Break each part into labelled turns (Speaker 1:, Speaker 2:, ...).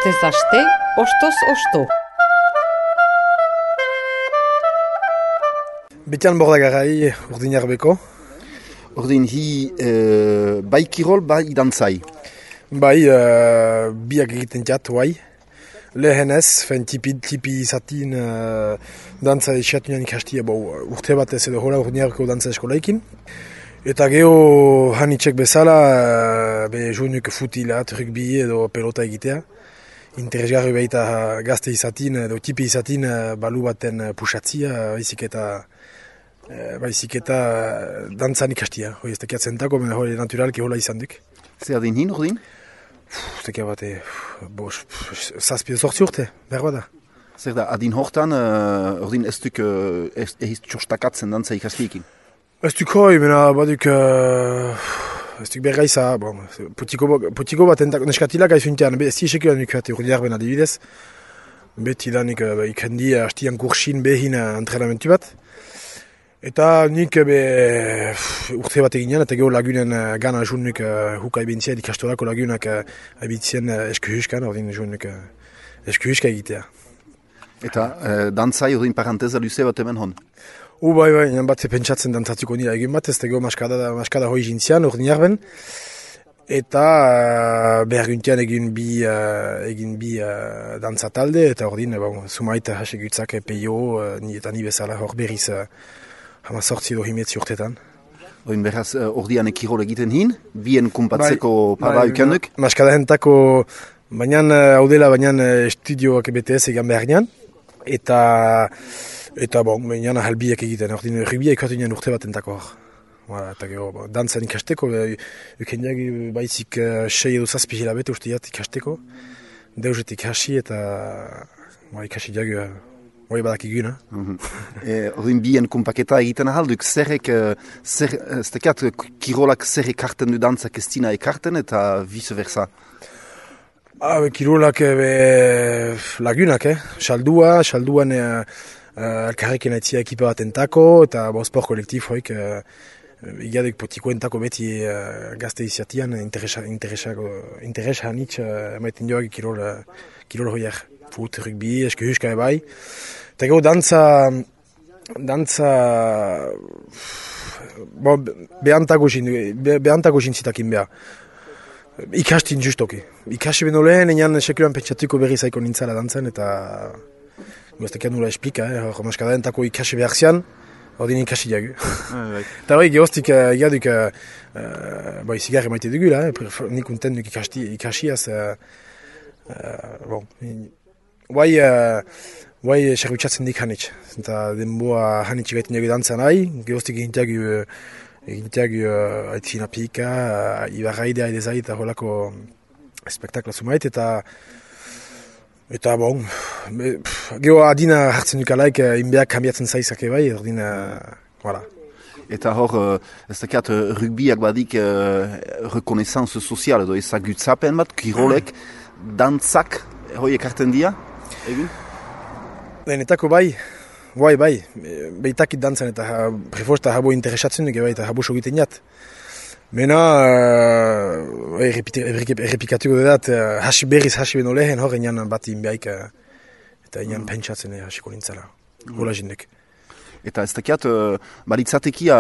Speaker 1: Astez aste, ostoz osto.
Speaker 2: Betian Bordagarai, urdin arbeko.
Speaker 3: Ordin hi bai kirol, bai dantzai.
Speaker 2: Bai, biak egiten jat, bai. Lehenez, tipi izatin dantza esiatunean ikastia, urte batez edo hola urdinarko dantza eskolaikin. Eta geho hanitxek bezala, jounuk futilat, rugby edo pelota egitea. Interesgarri baita gazte izatin edo tipi izatin balu baten pusatzia, baizik eta dantzan ikastia. Hoi ez tekiat zentako, baina hori naturalki hola izan duk.
Speaker 3: Zer adin hin, ordin?
Speaker 2: Tekia bate, zazpio sortzi urte, behar bada.
Speaker 3: Zer da, adin hortan, ordin ez duk ehiz txostakatzen dantza ikastiekin?
Speaker 2: Ez duk hoi, baina baduk, ez duk bergaiza, putiko bat neskatilak aizuntean, ez tixekioan ikate urdi arben adibidez. Beti da nik ikendi hastian kursin behin antrenamentu bat. Eta nik urte bat eginean, eta geho lagunen gana junnuk hukai bintzia ikastolako lagunak abitzien eskuhuskan, ordin junnuk eskuhuska egitea.
Speaker 3: Eta dantzai ordin paranteza luze bat hemen hon?
Speaker 2: Bai, nian bat pentsatzen dantzatuko nira egin bat, ez da geho maskada hoi jintzian ordin jarben. Eta berguntian egin bi dantza talde, eta ordin sumaita hasegutzak peio, eta ni bezala hor berriz hama sortzi edo himetzi urtetan.
Speaker 3: Oin beraz, ordian ekirol egiten hin, bien kumpatzeko para ukenduk?
Speaker 2: Maskada hentako, baina estudioak BTS egan behar nian, eta baina halbiak egiten, ordin rugbiak ikatunean urte bat entako hor. Eta gero, dantzan ikasteko, ukendiak baizik 6 edo 7 hilabete usteat ikasteko, deuzetik hasi eta ikasi diagu, hori badak iguna.
Speaker 3: Ordin bien kumpaketa egiten ahalduk, kirolak zer ekarten du dantzak ez dina ekarten eta vice versa?
Speaker 2: Kirolak lagunak, salduan elkarrekin aitzia ekipa bat entako, eta sport kolektif hoik, igaduk potiko entako beti gazte iziatian, interesa hanitz emaiten joak kirol hoiak. Fut, rugby, eskuhuska ebai. Eta gero dantza behantako jintzitakin beha. Ikastin justoki. Ikasi beno lehen, enean sekulan pentsatuko berri zaiko nintzala dantzan, eta goztekian nula esplika, hor maskada entako ikasi behar zian, ordin ikasi diagu. Eta hori gehoztik egaduk zigarri maite dugula, nik unten duk ikasiaz, Guai serbitzatzen dik hanitz, eta denboa hanitz gaiten dugu dantzan nahi, gehoztik egintiagu aitzina pika, ibarraidea edezai eta holako spektakla sumait, eta geho adina hartzen dukalaik, inbeak kambiatzen zaizak ebai, ordin, voilà.
Speaker 3: Eta hor, ez dakiat, rugbiak badik rekonesanz sozial edo ezagutzapen bat, kirolek, dantzak, hoi ekarten dira, egin?
Speaker 2: Lehenetako bai, behitakit dantzan eta prefosta habo interesatzen dugu eta habo sogiten jat. Mena, errepikatuko dudat, berriz hasi beno lehen hor enan bat inbeaik eta enan pentsatzen hasiko nintzala, hola jindek.
Speaker 3: Eta ez dakiat, baritzatekia,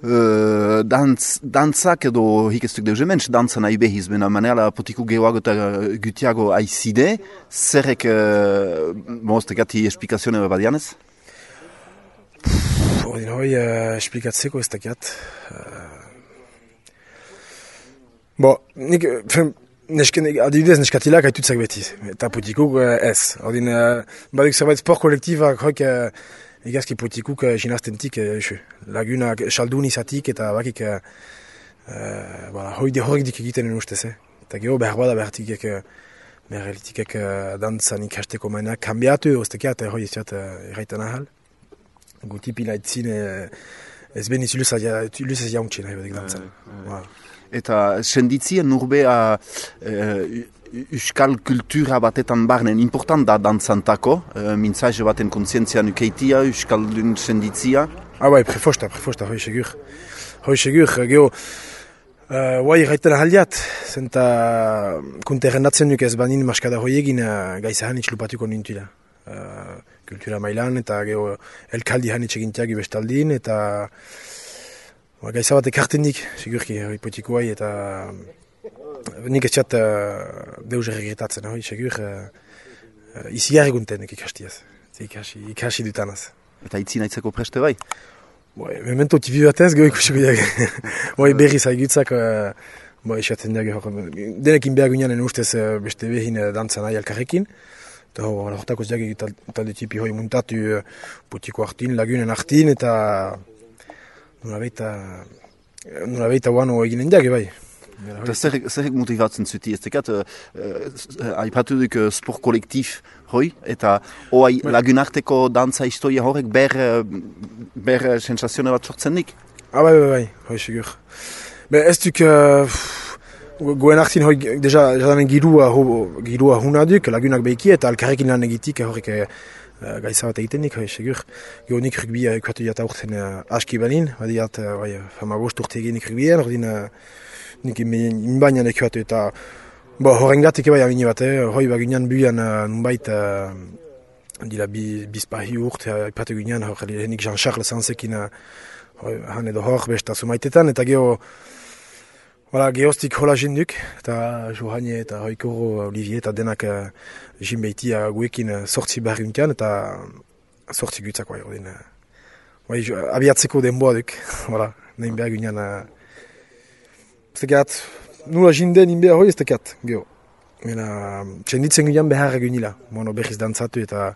Speaker 3: dantzak edo hikestuk deuze mentz, dantza nahi behiz, bena manela potiku gehoago eta gutiago aizide, zerrek, ez dakati esplikazione badianez?
Speaker 2: Ordin hoi esplikatzeko ez dakiat. Adibidez neskatilak haitutzak beti, eta potikuk ez. Ordin, baduk zerbait sport kolektibak hoik egazki potikuk jinaztentik lagunak saldun izatik eta bakik horik dik egiten ustez. Eta geho behar bada behartikek dantzan ikasteko mainak kambiatu, oztekia eta hoi iziat erraitan ahal. Gutipila itzin ez beniz luzaz jauntxin nahi badik dantzan.
Speaker 3: Eta senditzien nurbea euskal kultura batetan barnen important da dantzantako, mintzaje baten kontzientzia nukeitia, euskaldun senditzia?
Speaker 2: Prefosta, hoi segur. Geho, Guai, gaiten ahaldiat, zenta kunte errendatzen duk ez banin maskada hoiegin gaiza hanitz lupatuko nintuila. Kultura mailan eta geho elkaldi hanitz egintiak bestaldin eta gaiza bat ekarten dik, sigurki, hori potikoai eta nik ez txat deus erregretatzen, hori, sigur, izigarri gunten ikastiaz, ikasi dutanaz.
Speaker 3: Eta itzi nahitzeko preste bai?
Speaker 2: Memento tipi batez, geho ikusiko diak. Berri zaigutzak, esaten diak, denekin behar gunean ustez beste behin dantzan nahi alkarrekin. Eta horretako ziak talde tipi hoi muntatu putiko hartin, lagunen hartin, eta nola behita guano eginen diak, bai.
Speaker 3: Eta zerrek motivatzen zuti, ez dekat, haipatu duk sport kolektif hoi, eta oai lagunarteko dantza historia horrek ber sensazioa bat sortzen dik?
Speaker 2: Bai, hoi segur. Ez duk, goen hartin hoi, deja jadanen girua huna duk, lagunak behiki, eta alkarrekin lan egitik horrek gaiza bat egiten nik, hoi segur. Gero nik rugby ekuatu jata urten aski balin, badiat, fama bost urte egin nik rugbyen, ordin nik inbainan ekuatu eta horrengatik bai amini bat, hoi bagunean buian nunbait dila bizpahi urt, ipatu gunean, nik Jean-Charles Sansekin han edo hor besta sumaitetan, eta gehoztik hola jenduk, eta Johane eta Hoikoro, Olivier eta denak jinbeitia guekin sortzi barriuntean, eta sortzi gutzak bai, abiatzeko denboa duk, nahin behar gunean ez tekat, nula jinden inbea hoi ez tekat, geho. Txenditzen gunean behar egunila, berriz dantzatu eta,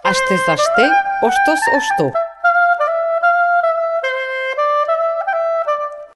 Speaker 1: Astez aste, ostoz osto.